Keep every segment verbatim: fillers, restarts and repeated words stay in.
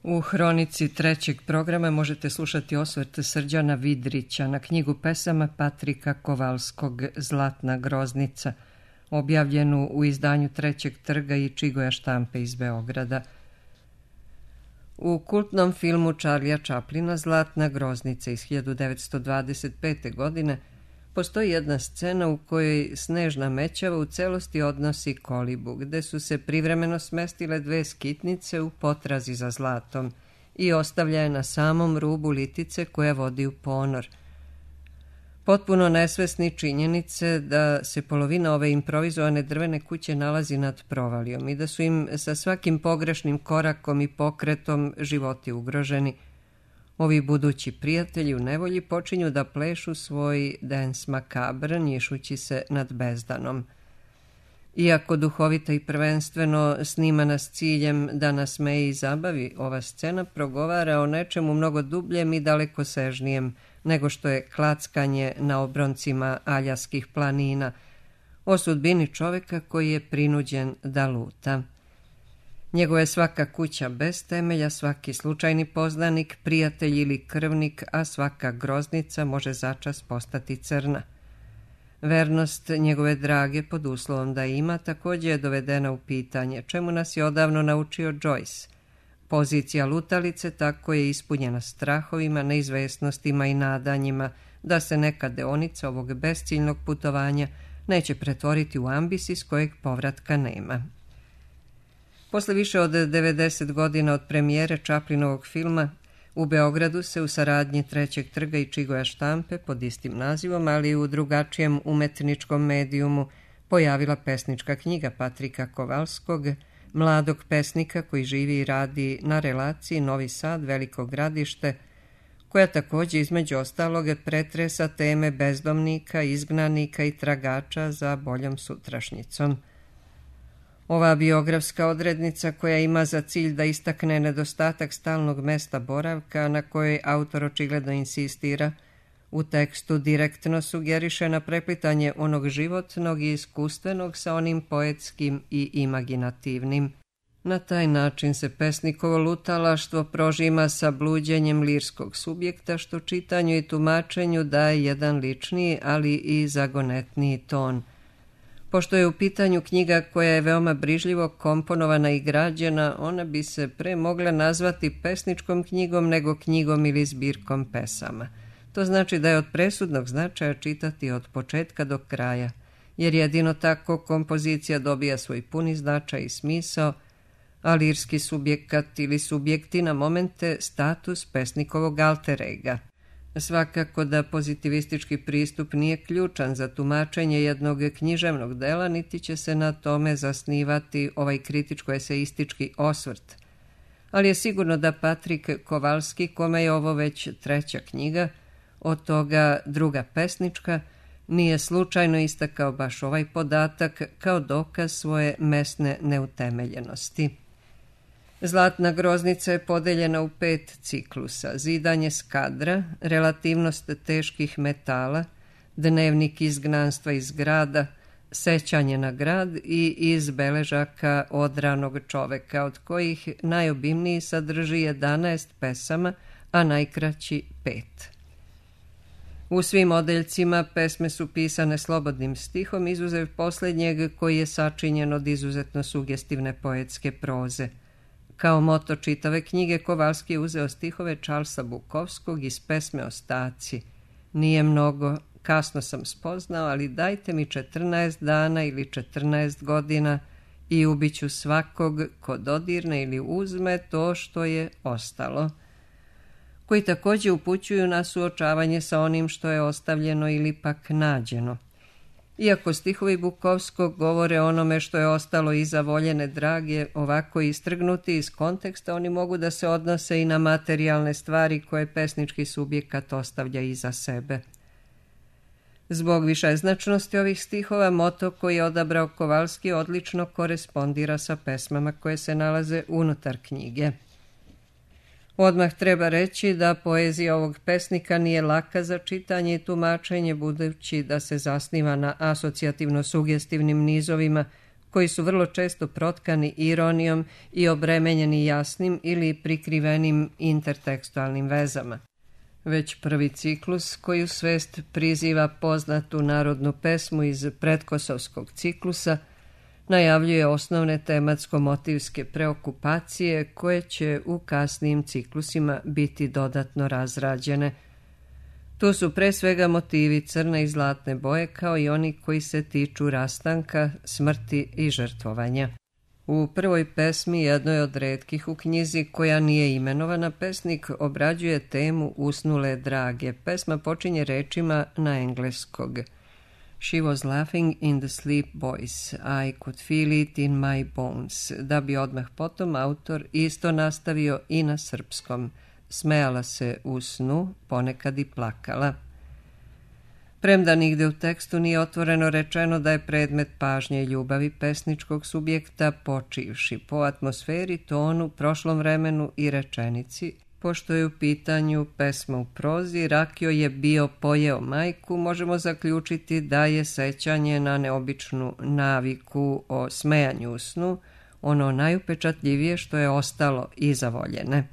U hronici trećeg programa možete slušati osvrt Srđana Vidrića na knjigu pesama Patrika Kovalskog Zlatna groznica, objavljenu u izdanju Trećeg trga i Čigoja štampe iz Beograda. U kultnom filmu Charlija Chaplina Zlatna groznica iz hiljadu devetsto dvadeset pete. godine postoji jedna scena u kojoj Snežna Mećava u celosti odnosi kolibu, gde su se privremeno smestile dve skitnice u potrazi za zlatom i ostavlja je na samom rubu litice koja vodi u ponor. Potpuno nesvesni činjenice da se polovina ove improvizovane drvene kuće nalazi nad provalijom i da su im sa svakim pogrešnim korakom i pokretom životi ugroženi, ovi budući prijatelji u nevolji počinju da plešu svoj dance macabre, njišući se nad bezdanom. Iako duhovita i prvenstveno snimana s ciljem da nasmeje i zabavi, ova scena progovara o nečemu mnogo dubljem i dalekosežnijem nego što je klackanje na obroncima aljaskih planina, o sudbini čoveka koji je prinuđen da luta. Njegova je svaka kuća bez temelja, svaki slučajni poznanik, prijatelj ili krvnik, a svaka groznica može začas postati crna. Vernost njegove drage, pod uslovom da ima, također je dovedena u pitanje, čemu nas je odavno naučio Joyce. Pozicija lutalice tako je ispunjena strahovima, neizvesnostima i nadanjima da se neka deonica ovog besciljnog putovanja neće pretvoriti u ambis iz kojeg povratka nema. Posle više od devedeset godina od premijere Chaplinovog filma, u Beogradu se u saradnji Trećeg trga i Čigoja štampe pod istim nazivom, ali i u drugačijem umetničkom medijumu, pojavila pesnička knjiga Patrika Kovalskog, mladog pesnika koji živi i radi na relaciji Novi Sad – Veliko Gradište, koja također između ostalog pretresa teme bezdomnika, izgnanika i tragača za boljom sutrašnjicom. Ova biografska odrednica, koja ima za cilj da istakne nedostatak stalnog mesta boravka na kojoj autor očigledno insistira, u tekstu direktno sugeriše na preplitanje onog životnog i iskustvenog sa onim poetskim i imaginativnim. Na taj način se pesnikovo lutalaštvo prožima sa bluđenjem lirskog subjekta, što čitanju i tumačenju daje jedan ličniji, ali i zagonetniji ton. Pošto je u pitanju knjiga koja je veoma brižljivo komponovana i građena, ona bi se pre mogla nazvati pesničkom knjigom nego knjigom ili zbirkom pesama. To znači da je od presudnog značaja čitati od početka do kraja, jer jedino tako kompozicija dobija svoj puni značaj i smisao, a lirski subjekat ili subjekti na momente status pesnikovog alter ega. Svakako da pozitivistički pristup nije ključan za tumačenje jednog književnog dela, niti će se na tome zasnivati ovaj kritičko-eseistički osvrt. Ali je sigurno da Patrik Kovalski, kome je ovo već treća knjiga, od toga druga pesnička, nije slučajno istakao baš ovaj podatak kao dokaz svoje mesne neutemeljenosti. Zlatna groznica je podeljena u pet ciklusa: zidanje skadra, relativnost teških metala, dnevnik izgnanstva iz grada, sećanje na grad i iz beležaka odranog čoveka, od kojih najobimniji sadrži jedanaest pesama, a najkraći pet. U svim odeljcima pesme su pisane slobodnim stihom, izuzev posljednjeg koji je sačinjen od izuzetno sugestivne poetske proze. Kao moto čitave knjige Kovalski je uzeo stihove Charlesa Bukowskog iz pesme Ostaci. Nije mnogo, kasno sam spoznao, ali dajte mi četrnaest dana ili četrnaest godina i ubiću svakog ko dodirne ili uzme to što je ostalo, koji također upućuju na suočavanje sa onim što je ostavljeno ili pak nađeno. Iako stihovi Bukovskog govore o onome što je ostalo iza voljene drage, ovako istrgnuti iz konteksta, oni mogu da se odnose i na materijalne stvari koje pesnički subjekat ostavlja iza sebe. Zbog višeznačnosti ovih stihova, moto koji je odabrao Kovalski odlično korespondira sa pesmama koje se nalaze unutar knjige. Odmah treba reći da poezija ovog pesnika nije laka za čitanje i tumačenje, budući da se zasniva na asocijativno-sugestivnim nizovima koji su vrlo često protkani ironijom i obremenjeni jasnim ili prikrivenim intertekstualnim vezama. Već prvi ciklus, koji u svest priziva poznatu narodnu pesmu iz pretkosovskog ciklusa, najavljuje osnovne tematsko-motivske preokupacije koje će u kasnijim ciklusima biti dodatno razrađene. Tu su pre svega motivi crne i zlatne boje, kao i oni koji se tiču rastanka, smrti i žrtvovanja. U prvoj pesmi, jednoj od retkih u knjizi koja nije imenovana, pesnik obrađuje temu usnule drage. Pesma počinje rečima na engleskog. She was laughing in the sleep voice. I could feel it in my bones. Da bi odmah potom autor isto nastavio i na srpskom. Smejala se u snu, ponekad i plakala. Premda nigde u tekstu nije otvoreno rečeno da je predmet pažnje i ljubavi pesničkog subjekta, počivši po atmosferi, tonu, prošlom vremenu i rečenici, pošto je u pitanju pesma u prozi, Rakio je bio pojeo majku, možemo zaključiti da je sećanje na neobičnu naviku o smejanju u snu ono najupečatljivije što je ostalo iza voljene.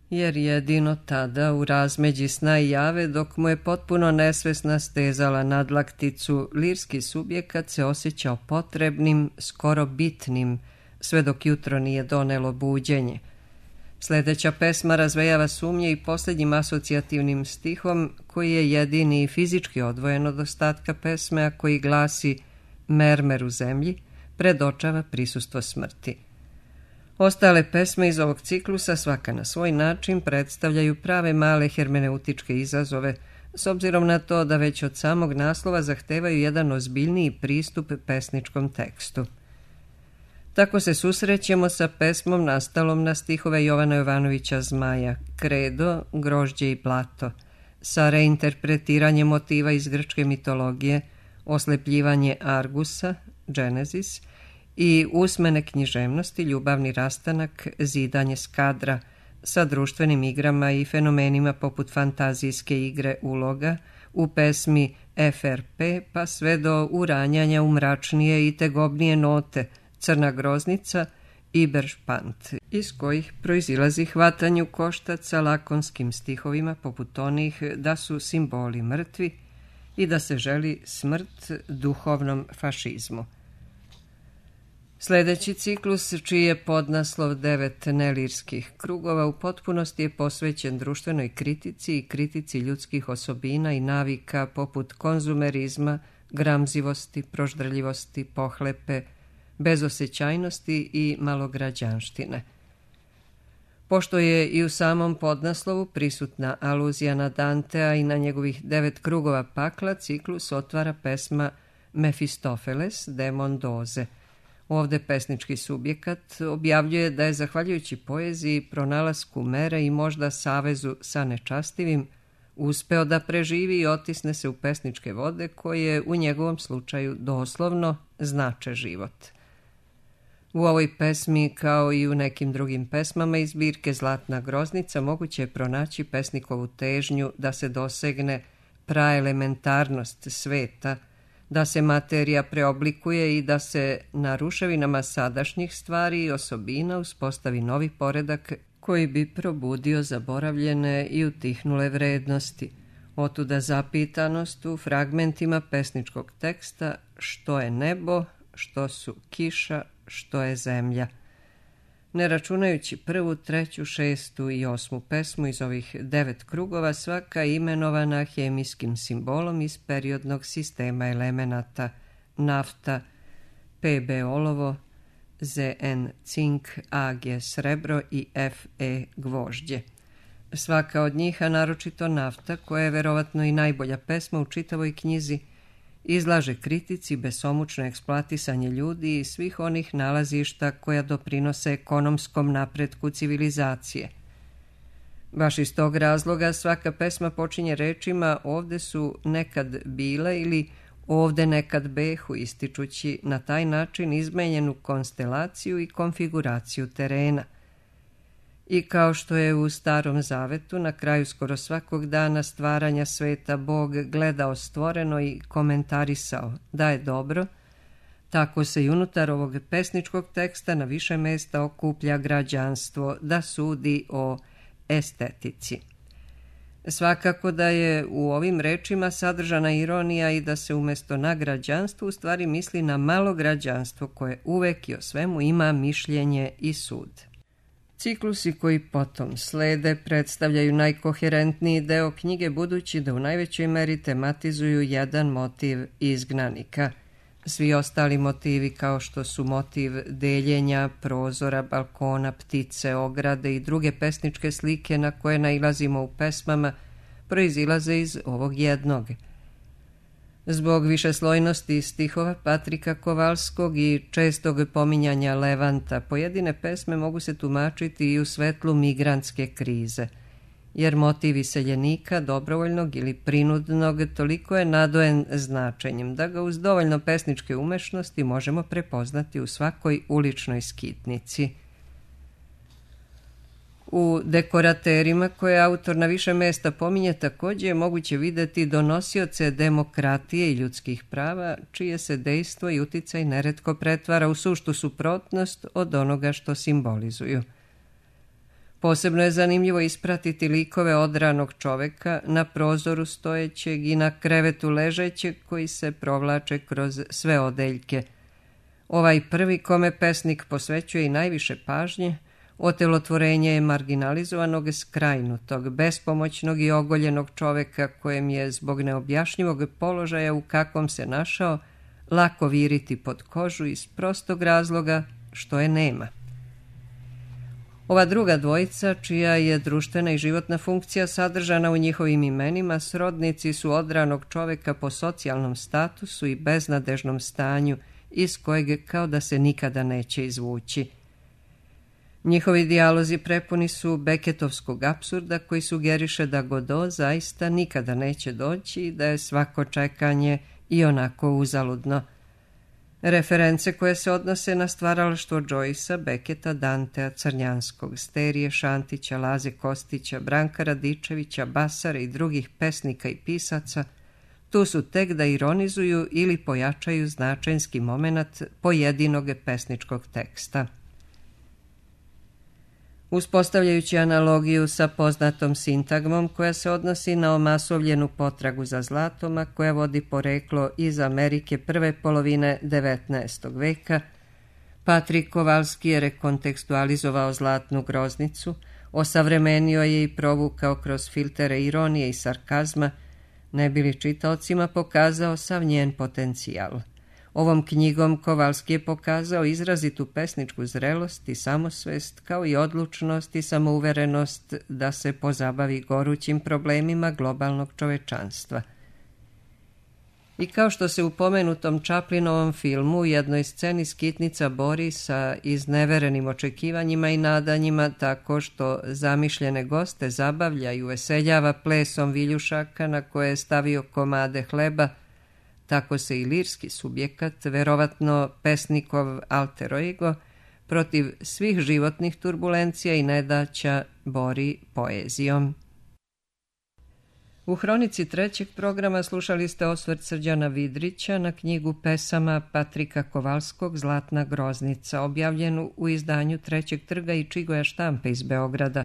Jer jedino tada u razmeđi sna i jave, dok mu je potpuno nesvesna stezala nadlakticu, lirski subjekat se osjećao potrebnim, skoro bitnim, sve dok jutro nije donelo buđenje. Sljedeća pesma razvejava sumnje i posljednjim asocijativnim stihom, koji je jedini i fizički odvojen od ostatka pesme, a koji glasi mermer u zemlji, predočava prisustvo smrti. Ostale pesme iz ovog ciklusa, svaka na svoj način, predstavljaju prave male hermeneutičke izazove, s obzirom na to da već od samog naslova zahtevaju jedan ozbiljniji pristup pesničkom tekstu. Tako se susrećemo sa pesmom nastalom na stihove Jovana Jovanovića Zmaja, Kredo, grožđe i blato, sa reinterpretiranjem motiva iz grčke mitologije, oslepljivanje Argusa, Genesis, i usmene književnosti, ljubavni rastanak, zidanje skadra, sa društvenim igrama i fenomenima poput fantazijske igre uloga, u pesmi F R P, pa sve do uranjanja u mračnije i tegobnije note, Crna groznica i Beršpant, iz kojih proizilazi hvatanju koštaca lakonskim stihovima poput onih da su simboli mrtvi i da se želi smrt duhovnom fašizmu. Sljedeći ciklus, čiji je podnaslov Devet nelirskih krugova, u potpunosti je posvećen društvenoj kritici i kritici ljudskih osobina i navika poput konzumerizma, gramzivosti, proždrljivosti, pohlepe, bezosjećajnosti i malograđanštine. Pošto je i u samom podnaslovu prisutna aluzija na Dantea i na njegovih devet krugova pakla, ciklus otvara pesma Mefistofeles, demon doze. Ovde pesnički subjekat objavljuje da je, zahvaljujući poeziji, pronalasku mere i možda savezu sa nečastivim, uspeo da preživi i otisne se u pesničke vode koje u njegovom slučaju doslovno znače život. U ovoj pesmi, kao i u nekim drugim pesmama iz zbirke Zlatna groznica, moguće je pronaći pesnikovu težnju da se dosegne praelementarnost sveta, da se materija preoblikuje i da se na ruševinama sadašnjih stvari i osobina uspostavi novi poredak koji bi probudio zaboravljene i utihnule vrednosti. Otuda zapitanost u fragmentima pesničkog teksta što je nebo, što su kiša, što je zemlja. Ne računajući prvu, treću, šestu i osmu pesmu iz ovih devet krugova, svaka imenovana hemijskim simbolom iz periodnog sistema elemenata nafta, P B olovo, Z N cink, A G srebro i F E gvožđe. Svaka od njih, a naročito nafta, koja je verovatno i najbolja pesma u čitavoj knjizi, izlaže kritici besomučno eksploatisanje ljudi i svih onih nalazišta koja doprinose ekonomskom napretku civilizacije. Baš iz tog razloga svaka pesma počinje rečima ovde su nekad bile ili ovde nekad behu, ističući na taj način izmenjenu konstelaciju i konfiguraciju terena. I kao što je u Starom zavetu na kraju skoro svakog dana stvaranja sveta Bog gledao stvoreno i komentarisao da je dobro, Tako se i unutar ovog pesničkog teksta na više mesta okuplja građanstvo da sudi o estetici. Svakako da je u ovim rečima sadržana ironija i da se umjesto na građanstvo u stvari misli na malo građanstvo koje uvek i o svemu ima mišljenje i sud. Ciklusi koji potom slede predstavljaju najkoherentniji deo knjige budući da u najvećoj meri tematizuju jedan motiv izgnanika. Svi ostali motivi kao što su motiv deljenja, prozora, balkona, ptice, ograde i druge pesničke slike na koje nailazimo u pesmama proizilaze iz ovog jednog. Zbog višeslojnosti stihova Patrika Kovalskog i čestog pominjanja Levanta, pojedine pesme mogu se tumačiti i u svetlu migrantske krize, jer motiv iseljenika, dobrovoljnog ili prinudnog, toliko je nadojen značenjem da ga uz dovoljno pesničke umešnosti možemo prepoznati u svakoj uličnoj skitnici. U dekoraterima koje autor na više mesta pominje također je moguće vidjeti donosioce demokratije i ljudskih prava, čije se dejstvo i uticaj neretko pretvara u suštu suprotnost od onoga što simbolizuju. Posebno je zanimljivo ispratiti likove odranog čoveka na prozoru stojećeg i na krevetu ležećeg koji se provlače kroz sve odeljke. Ovaj prvi kome pesnik posvećuje i najviše pažnje, otelotvorenje je marginalizovanog, skrajnutog, bespomoćnog i ogoljenog čoveka kojem je zbog neobjašnjivog položaja u kakvom se našao lako viriti pod kožu iz prostog razloga što je nema. Ova druga dvojica, čija je društvena i životna funkcija sadržana u njihovim imenima, srodnici su odranog čoveka po socijalnom statusu i beznadežnom stanju iz kojeg kao da se nikada neće izvući. Njihovi dijalozi prepuni su Beketovskog apsurda koji sugeriše da Godot zaista nikada neće doći i da je svako čekanje i onako uzaludno. Reference koje se odnose na stvaralaštvo Joycea, Beketa, Dantea, Crnjanskog, Sterije, Šantića, Laze Kostića, Branka Radičevića, Basare i drugih pesnika i pisaca, tu su tek da ironizuju ili pojačaju značenski moment pojedinog pesničkog teksta. Uspostavljajući analogiju sa poznatom sintagmom koja se odnosi na omasovljenu potragu za zlatom, a koja vodi poreklo iz Amerike prve polovine devetnaestog veka, Patrik Kovalski je rekontekstualizovao zlatnu groznicu, osavremenio je i provukao kroz filtere ironije i sarkazma, ne bi li čitaocima pokazao sav njen potencijal. Ovom knjigom Kovalski je pokazao izrazitu pesničku zrelost i samosvest, kao i odlučnost i samouverenost da se pozabavi gorućim problemima globalnog čovečanstva. I kao što se u pomenutom Chaplinovom filmu u jednoj sceni skitnica bori sa izneverenim očekivanjima i nadanjima tako što zamišljene goste zabavlja i uveseljava plesom viljušaka na koje je stavio komade hleba, tako se i lirski subjekat, verovatno pesnikov alter ego, protiv svih životnih turbulencija i nedaća bori poezijom. U hronici trećeg programa slušali ste osvrt Srđana Vidrića na knjigu pesama Patrika Kovalskog Zlatna groznica, objavljenu u izdanju Trećeg trga i Čigoja štampe iz Beograda.